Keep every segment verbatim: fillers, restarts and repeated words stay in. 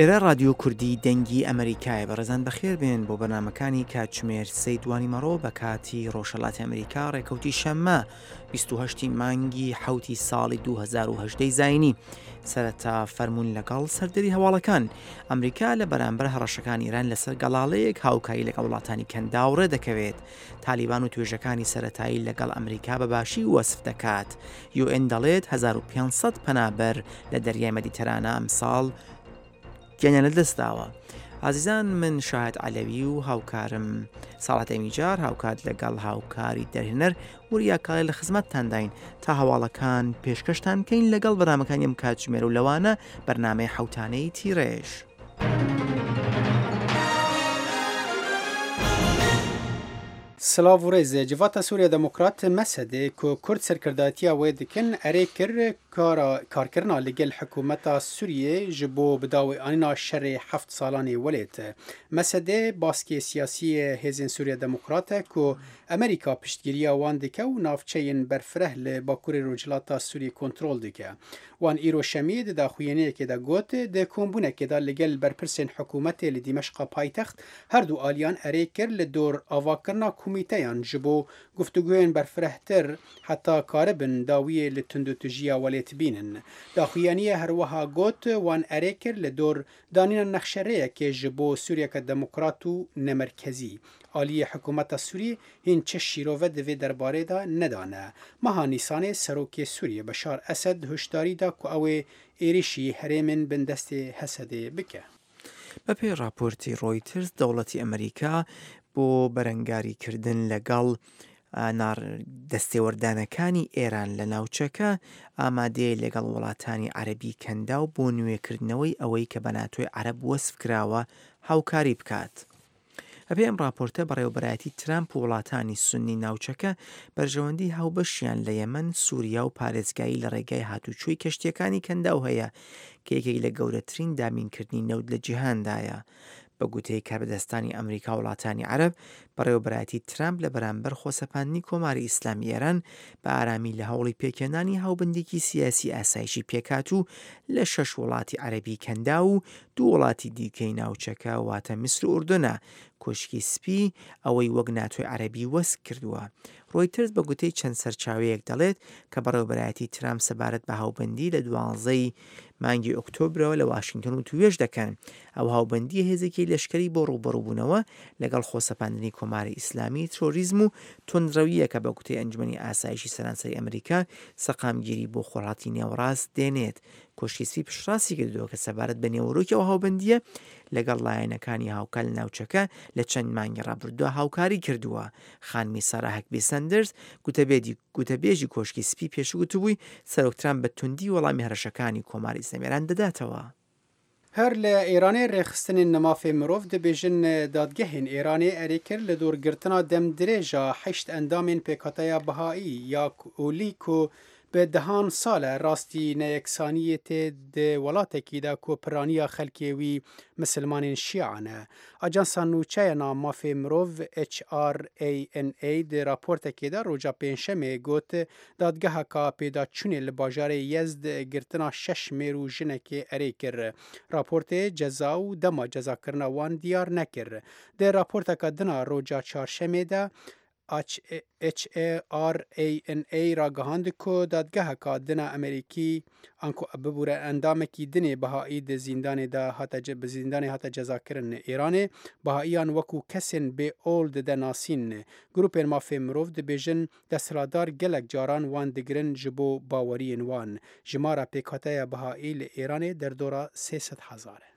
ئێرە ڕادیۆ کوردی دەنگی ئەمریکایە. بەڕێزان بەخێر بێن بۆ بەرنامەکانی کاتژمێر سێی دوانی مەڕۆ بە کاتی ڕۆژهەڵاتی ئەمریکا، ڕێکەوتی شەممە بیست و هەشت مانگی حەوتی ساڵی دوو هەزار و هەژدە زایینی. سەرەتا فەرموون لەگەڵ سەردەری هەواڵەکان. ئەمریکا لە بەرامبەر هەڕەشەکانی ئێران لەسەر گەڵاڵەیەک هاوکاری لەگەڵ وڵاتانی کەنداو ڕێدەکەوێت. تالیبان و توێژەکانی سەتایی لەگەڵ ئەمریکا بە باشی وەسف دەکات. یو ئێن دەڵێت هەزار و پێنج سەد پەنابەر لە دەریای مەدیتەرانە ئەمساڵ گیانیان لەدەستداوە. ئازیزان، من شاهد عەلەوی و هاوکارم ساڵحەت ئەمیجار، هاوکات لەگەڵ هاوکاری دەرهێنەر وریا کاڵێ لە خزمەتتانداین تا هەواڵەکان پێشکەشتان بکەین لەگەڵ بەرنامەکانی ئەم کاتژمێر و لەوانە بەرنامەی حەوتانەی تیڕێژ. سلاv û rêz Civata Sûriya Demokrat Mesedê ku Kurd serkirdayetiya wê dikin erê kir karkirina li gel hikûmeta Sûriyê ji bo bidawîanîna şerê heft salanê welêt. Mesedê baskê siyasiyê Hêzên Sûriya Demokrat e ku Amerîka piştgiriya wan dike û navçeyên berfireh li Bakurê Rojhilata Sûriyê kontrol dike. Wan îro şemiyê di daxuyaniyekê de got di kombûnekê de li gel berpirsên hikûmetê li Dîmeşqa paytext her du aliyan erê kir li dor avakirina komîteyan ji bo guftûgoyên berfirehtir heta karibin dawiyê li tundûtujiya welêt bînin. Daxuyaniyê herwiha got wan erê kir li dor danîna nexşerêyekê ji bo Sûriyeke demokrat û nemerkezî. Aliyê hikûmeta Sûriyê hîn çi şîrove di vê derbarê de nedane. Meha Nîsanê Serokê Sûriyê Beşar Esed hişyarî da ku ew ê êrişî herêmên bindestê Hesedê bike. بەپێی ڕاپۆرتی ڕۆیترز، دەوڵەتی ئەمریکا بۆ بەرەنگاریکردن لەگەڵ دەستێوەردانەکانی ئێران لە ناوچەکە ئامادەیە لەگەڵ وڵاتانی عەرەبی کەنداو بۆ نوێکردنەوەی ئەوەی کە بە ناتۆی عەرەب وەسف کراوە هاوکاری بکات. بەپێی ئەم ڕاپۆرتە، بەڕێوەبەرایەتی ترامپ و وڵاتانی سوننی ناوچەکە بەرژەوەندی هاوبەشیان لە یەمەن، سووریا و پارێزگایی لە ڕێگای هاتوچۆی کەشتیەکانی کەنداو هەیە کە یەکێک لە گەورەترین دابینکردنی نەوت لە جیهاندایە. بە گوتەی کاربەدەستانی ئەمریکا و وڵاتانی عەرەب، بەڕێوەبەرایەتی ترامپ لە بەرامبەر خۆسەپاندنی کۆماری ئیسلامی ئێران بە ئارامی لە هەوڵی پێکهێنانی هاوبەندێکی سیاسی ئاسایشی پێکات و لە شەش وڵاتی عەرەبی کەنداو و دوو وڵاتی دیکەی ناوچەکە واتە میسر و ئوردنە. کۆشکی سپی ئەوەی وەک ناتۆی عەرەبی وەسف کردووە. ڕۆیترز بە گوتەی چەند سەرچاوەیەک دەڵێت کە بەڕێوەبەرایەتی ترامپ سەبارەت بە هاوبەندی لە دوانزەی مانگی ئۆکتۆبرەوە لە واشنگتۆن وتوێژ دەکەن. ئەو هاوبەندی هێزێکی لەشکری بۆ ڕووبەڕووبوونەوە لەگەڵ خۆسەپاندنی کۆماری ئیسلامی، ترۆریزم و توندڕەوییە کە بە گوتەی ئەنجومەنی ئاسایشی سەرانسەری ئەمریکا سەقامگیری بۆ خۆرهەڵاتی نێوەڕاست دێنێت. کۆشکی سپی پشتڕاستی کردووە کە سەبارەت بە نێوەرۆکی ئەو هاوبەندیە لەگەڵ لایەنەکانی هاوکار لە ناوچەکە لە چەند مانگی ڕابردووە هاوکاری کردووە. خانمی سارا هەکبی سەندرز گوتەبێژی کۆشکی سپی پێشوو گوتبووی سەرۆک ترامپ بە توندی وەڵامی هەڕەشەکانی کۆماری ئیسلامی ئێران دەداتەوە. هەر لە ئێرانێ ڕێخستنên mafê mirov dibêjin dadgehên Êranê erê kir li dorgirtina demdirêja heşt endamên pêkhateya Behaî ya olî ku bi dehan sal e rastî neyeksaniyê tê di welatekî de ku piraniya xelkê wî misilmanên Şîa ne. Ajansa nûçeya mafê mirov H R A N A di raportekê de roja pêncşemê got dadgeheka pêdaçûnê li bajarê Yezd girtina şeş mêr û jinekê erê kir. Raportê ceza û dema cezakirina wan diyar nekir. Di raporteka din a roja çarşemê de H R A N A ragihand ku dadgeheka din a Amerîkî anku bibûre endamekî dinê Behaî di zîndanê de hate bi zîndanê hate cezakirin. Îranê Behaiyan wekû kesên bê ol dide nasîn. Grûpên mafê mirov dibêjin desthilatdar gelek caran wan digirin ji bo baweriyên wan. Jimara pêkhateya Behaî li Îranê derdora sê sed hezar e.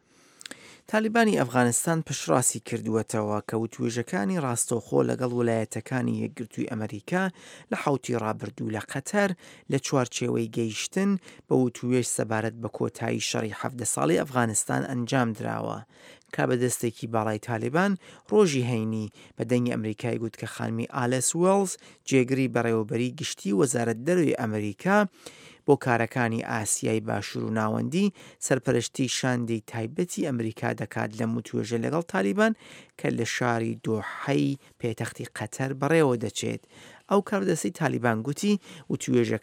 تالیبانی ئەفغانستان پشتڕاستی کردووەتەوە کە وتوێژەکانی ڕاستەوخۆ لەگەڵ ویلایەتەکانی یەکگرتووی ئەمریکا لە حەوتی ڕابردوو لە قەتەر لە چوارچێوەی گەیشتن بە وتوێژ سەبارەت بە کۆتایی شەڕی حەڤدە ساڵی ئەفغانستان ئەنجام دراوە. کە بە دەستێکی باڵای تالیبان ڕۆژی هەینی بە دەنگی ئەمریکای گوت کە خانمی ئالێس وێڵز جێگری بەڕێوەبەری گشتی وەزارەت دەرەوەی ئەمریکا بۆ کارەکانی ئاسیای باشوور و ناوەندی سەرپەرشتی شاندی تایبەتی ئەمریکا دەکات لە وتوێژە لەگەڵ تالیبان کە لە شاری دۆحەی پێتەختی قەتەر بەڕێوە دەچێت. ئەو کاربەدەستی تالیبان گوتی وتوێژەکان